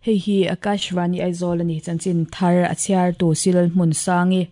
Hei hi Akashvani Aizawl a ni, chanchin thar a chhiartu Silal Hmunsangi.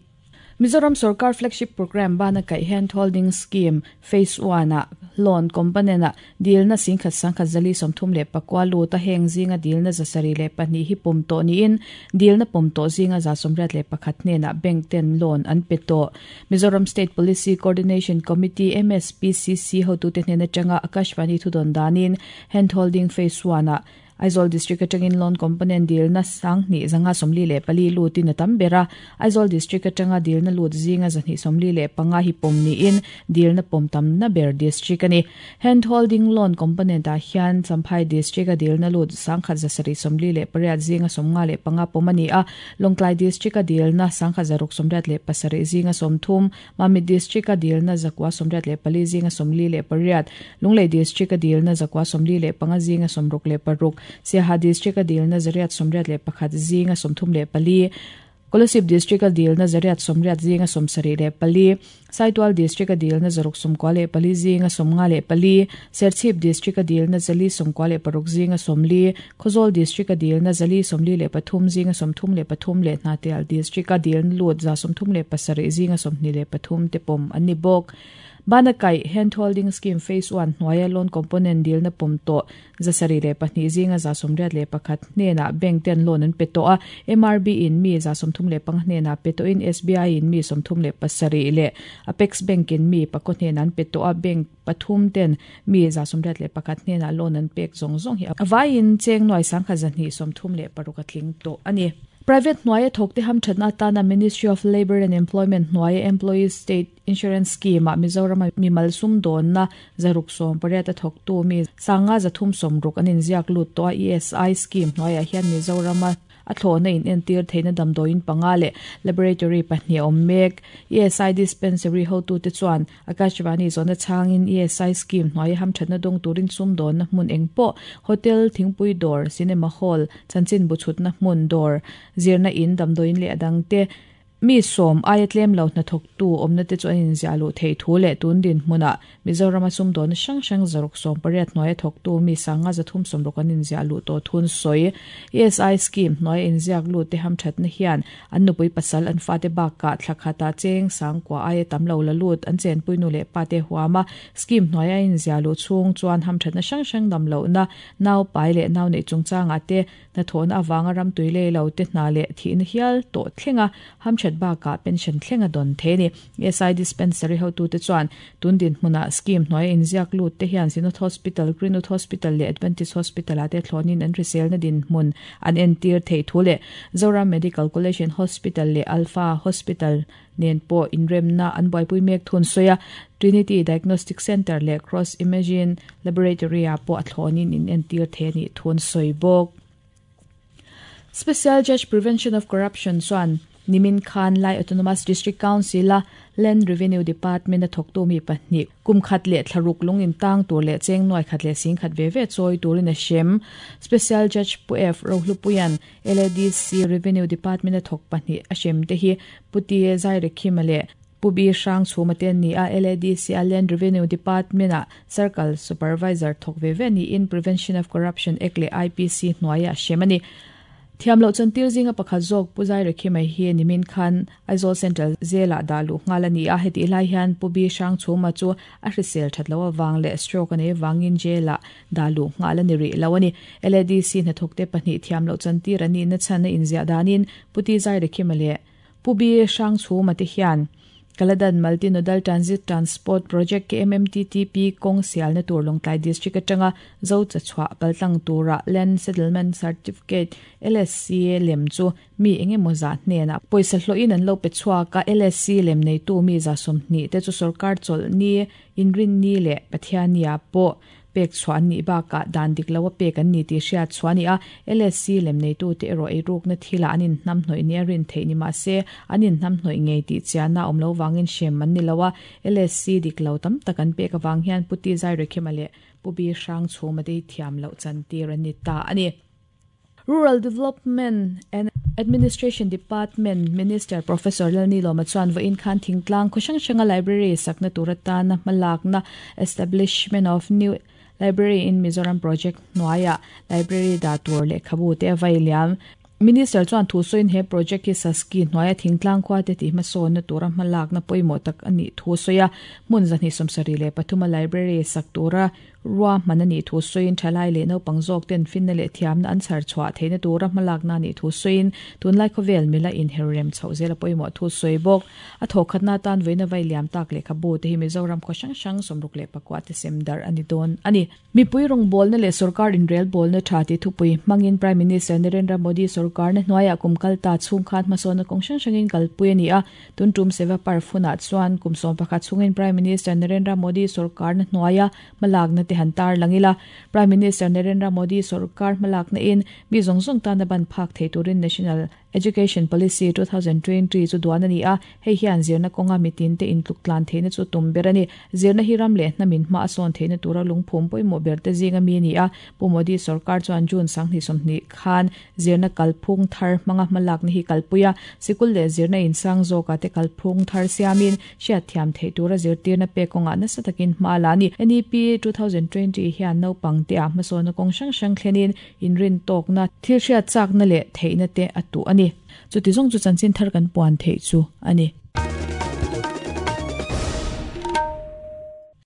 Mizoram sorkar flagship programme bana kaih Hand Holding Scheme Phase I-ah loan component-ah dilna singkhat sangkhat zali 34 lut a, heng zinga dilna 72 hi pawm tawh niin dilna pawm tawh zinga 81 hnenah bank ten loan an pe tawh. Mizoram State Policy Coordination Committee, MSPCC, hotute hnen atanga Akashvani thudawn danin Hand Holding Phase I-ah Aizawl District atangin loan component dilna 2544 lutin a tam ber a, Aizawl District atanga dilna lut zinga 245 hi pawm niin dilna pawm tamna ber district a ni. Hand holding loan component ah hian Champhai District a dilna lut 1748 zinga 55 pawm a ni a, Lawngtlai District a dilna 1687 zinga 30, Mamit District a dilna 984 zinga 48, Lunglei District a dilna 945 zinga 66, Siaha District a dilna 881 zinga 34, Kolasib District a dilna 880 zinga 74, Saitual District a dilna 694 zinga 54, Serchhip District a dilna 496 zinga 40, Khawzawl District a dilna 443 zinga 33 leh Hnahthial District a dilna lut 37 zinga 23 te pawm an ni bawk. Bana kaih Hand Holding Scheme Phase I hnuaia loan component dilna pawm tawh 72 zinga 81 hnenah bank ten loan an pe tawh a, MRB in mi 35 hnenah pe tawhin SBI in mi 37 leh Apex Bank in mi pakaw hnenah an pe tawh a, bank pathum ten mi 81 hnenah loan an pek zawng zawng hi a vaiin cheng nuai 1236 a tling tawh a ni. Private hnuaia thawkte hamthatna atana Ministry of Labour and Employment hnuaia Employees State Insurance Scheme ah Mizorama mimal sumdawnna 680 a thawktu mi 5360 an inziak lut tawh a, ESI scheme hnuaiah hian Mizorama a thlawhna in entir theihna damdawiin panga leh laboratory pahnih a awm mek. ESI dispensary hotute chuan Akashvani zawhna chhangin ESI scheme hnuaia hamthatna dawng turin sumdawnna hmun eng pawh, hotel, thingpui dawr, cinema hall, chanchin bu chhutna hmun dawr, zirna in, damdawiin leh a dangte, Mi sawm aia tlem lo hnathawktu awmna te chu an inziah luh theih thu leh tun dinhmunah Mizorama sumdawnna hrang hrang 680 hnuaia thawktu mi 5360 an inziah luh tawh thun sawi. ESI scheme hnuaia inziak lut te hamthatna hian an nupui pasal an fate bakah thla khatah cheng sangkua aia tam lo la lut an chenpui nu leh pa te huama scheme hnuaia inziah luh chhung chuan hamthatna hrang hrang dam lohna nau pai leh nau neih chungchangah te Hnathawhna avanga ram tui lei lo te hna leh thihna hial tawh thlenga hamthat bakah pension thlenga dawn thei a ni. SI Dispensary hotute chuan tun dinhmunah scheme hnuaia inziak lut te hian Synod Hospital, Greenwood Hospital leh Adventist Hospital ah te thlawnin an hriselna dinhmun an entir theih thu leh Zoram Medical College and Hospital leh Alpha Hospital nen pawh inremna an buaipui mek thun sawi a, Trinity Diagnostic Centre leh Cross Imaging Laboratory-ah pawh a thlawnin in entir thei a nih thu an sawi bawk. Special Judge Prevention of Corruption chuan nimin khan Lai Autonomous District Council-a Land Revenue Department-a thawktu mi pahnih Kum khat leh thla ruk lung intang tur leh cheng nuai khat leh sing khat ve ve chawi turin a hrem. Special Judge Pu F. Rohlupuia'n LADC Revenue Department-a thawk pahnih a hrem te hi Pu T. Zairekhima leh Pu B. Hrangchhuma te an ni a, LADC-a Land Revenue Department-a Circle Supervisor thawk ve ve niin Prevention of Corruption Act leh IPC hnuaiah a hrem a ni. Thiam loh chantir zinga pakhat zawk Pu Zairekhima hi nimin khan Aizawl Central Jail-ah dah luh nghal a ni a, hetih lai hian Pu B. Hrangchhuma chu a hrisel that loh avang leh stroke a nei avangin jail-ah dah luh nghal a ni rih lo a ni. LADC hnathawkte pahnih thiam loh chantir an nihna chhan a inziah danin Pu T. Zairekhima leh Pu B. Hrangchhuma te hian Kaladan Multi-Nodal Transit Transport Project, KMMTTP, kawng sialna tur Lawngtlai District atanga Zo chachhuah paltlang tura Land Settlement Certificate, LSC, lem chu Mi eng emaw zah hnenah pawisa hlawhin an lo pe chhuak a, LSC lem neitu mi za 20 te chu sorkar chawlh ni, inrinni leh Pathiannia pawh pek chhuah an nih bakah dan dik lo a pek an ni tih hriat chhuah a ni a. LSC lem neitu te erawh eirukna thilah an inhnamhnawih nia rin theih ni mah se, an inhnamhnawih ngei tih chiahna a awm lo vangin hrem an ni lo a. LSC dik lo tam tak an pek avang hian Pu Ti Zairekhima leh Pu Bi Hrangchhuma te hi thiam loh chantir an ni ta a ni. Rural Development and Administration Department Minister Professor Lalnilawma chuan vawiin khan thingtlang khaw hrang hranga library sakna tur atana hmalakna Establishment of New Library in Mizoram Project hnuaiah Library dah tur lehkhabu te a vai liam. Minister chuan thu sawiin he project hi Saski hnuaia thingtlang khua te tih hmasawnna tura hmalakna pawimawh tak a nih thu a sawi a. Hmun 273 a library sak tura ruahman a nih thu sawiin thalai leh naupang zawk ten finna leh thiamna an chhar chhuah theihna tura hmalakna a nih thu sawiin tunlai khawvel mila inher rem chhoh zel a pawimawh thu sawi bawk. A thawhkhatna atan vawiina vai liam tak lehkhabu te hi Mizoram khaw hrang hrang 64 te sem darh a ni dawn a ni. Mipui rawngbawlna leh sorkar inrelbawlna tha tih thupui hmangin Prime Minister Narendra Modi sorkarna hnuaiah kum kal ta chhung khan hmasawnna kawng hrang hrangin kalpui a ni a. Tun tum Seva Parv hunah chuan kum 11 chhungin Prime Minister Narendra Modi sorkarna hnuaia hmalakna te han tarlang ila. Prime Minister Narendra Modi sorkar hmalakna in mi zawng zawng tana ban phak thei turin National Education Policy 2020 chu duan a ni a, hei hian zirna kawnga mitin te intluk tlan theihna chu tum ber a ni. Zirna hi ram leh hnamin hma a sawn theihna tura lungphum pawimawh ber te zinga mi a ni a. Pu Modi sorkar chuan June 2020 khan zirna kalphung thar hmanga hmalakna hi kalpui a, sikul leh zirna insang zawkah te kalphung thar siamin hriatthiam theih tura zirtirna pek kawngah nasa takin hma a la a ni. NEP 2020 hian naupang te ah hmasawnna kawng hrang hrang thlenin Inrintawkna, thil hriat chakna leh theihna te a tuh a ni. Chuti zawng chu chanchin thar kan puan theih chu a ni.